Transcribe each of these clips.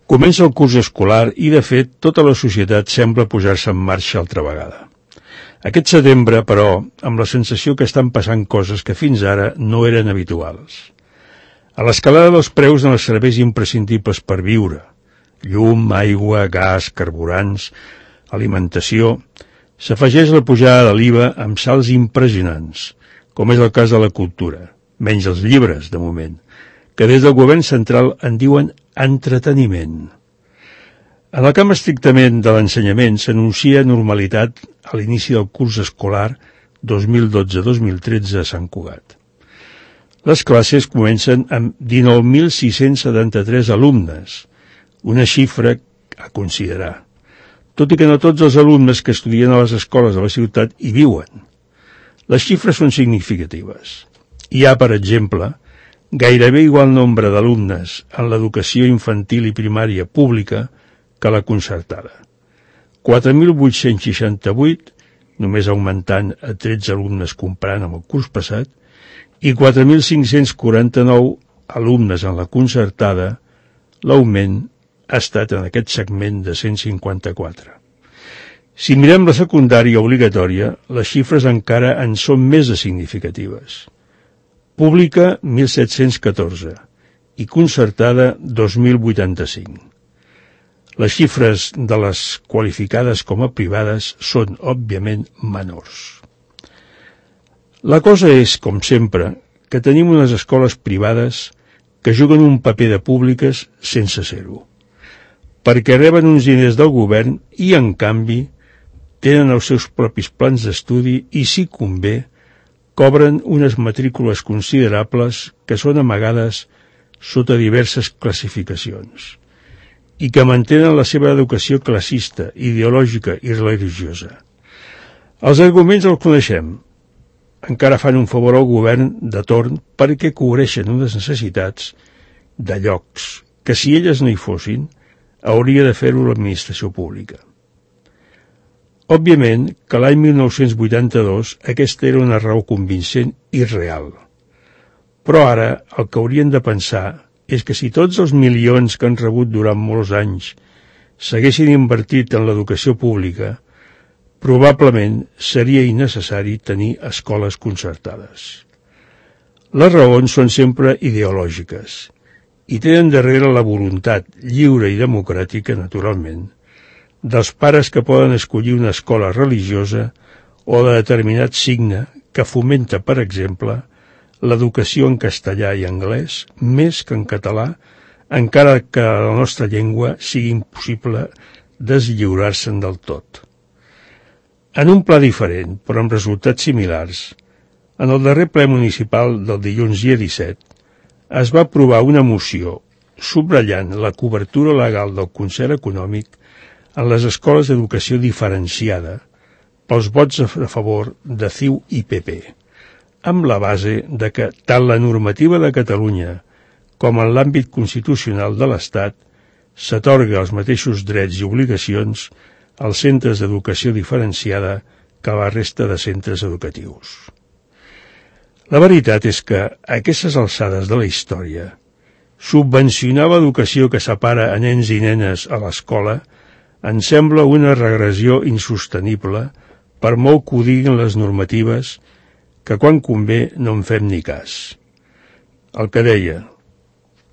Comença el curs escolar i, de fet, tota la societat sembla posar-se en marxa altra vegada. Aquest setembre, però, amb la sensació que estan passant coses que fins ara no eren habituals. A l'escalada dels preus en els serveis imprescindibles per viure, llum, aigua, gas, carburants, alimentació, s'afegeix la pujada de l'IVA amb salts impressionants, com és el cas de la cultura, menys els llibres, de moment, que des del govern central en diuen entreteniment. En el camp estrictament de l'ensenyament s'anuncia normalitat a l'inici del curs escolar 2012-2013 a Sant Cugat. Les classes comencen amb 19.673 alumnes, una xifra a considerar, tot i que no tots els alumnes que estudien a les escoles de la ciutat hi viuen. Les xifres són significatives. Hi ha, per exemple, gairebé igual nombre d'alumnes en l'educació infantil i primària pública que la concertada. 4.868, només augmentant a 13 alumnes comparant amb el curs passat, i 4.549 alumnes en la concertada, l'augment ha estat en aquest segment de 154. Si mirem la secundària obligatòria, les xifres encara en són més de significatives. Pública, 1.714, i concertada, 2.085. Les xifres de les qualificades com a privades són, òbviament, menors. La cosa és, com sempre, que tenim unes escoles privades que juguen un paper de públiques sense ser-ho, perquè reben uns diners del govern i, en canvi, tenen els seus propis plans d'estudi i, si convé, cobren unes matrícules considerables que són amagades sota diverses classificacions i que mantenen la seva educació classista, ideològica i religiosa. Els arguments els coneixem. Encara fan un favor al govern de torn perquè cobreixen unes necessitats de llocs que, si elles no hi fossin, hauria de fer-ho l'administració pública. Òbviament que l'any 1982 aquesta era una raó convincent i real. Però ara el que haurien de pensar és que si tots els milions que han rebut durant molts anys s'haguessin invertit en l'educació pública, probablement seria innecessari tenir escoles concertades. Les raons són sempre ideològiques i tenen darrere la voluntat lliure i democràtica, naturalment, dels pares que poden escollir una escola religiosa o de determinat signe que fomenta, per exemple, l'educació en castellà i anglès més que en català, encara que a la nostra llengua sigui impossible deslliurar-se'n del tot. En un pla diferent, però amb resultats similars, en el darrer ple municipal del dilluns dia 17 es va aprovar una moció subratllant la cobertura legal del concert econòmic en les escoles d'educació diferenciada pels vots a favor de CiU i PP, amb la base de que tant la normativa de Catalunya com en l'àmbit constitucional de l'Estat s'atorga els mateixos drets i obligacions als centres d'educació diferenciada que a la resta de centres educatius. La veritat és que, a aquestes alçades de la història, subvencionar l'educació que separa a nens i nenes a l'escola em sembla una regressió insostenible per molt que ho diguin les normatives que quan convé no en fem ni cas. El que deia,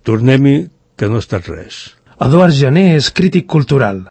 tornem-hi que no ha estat res. Eduard Jané és crític cultural.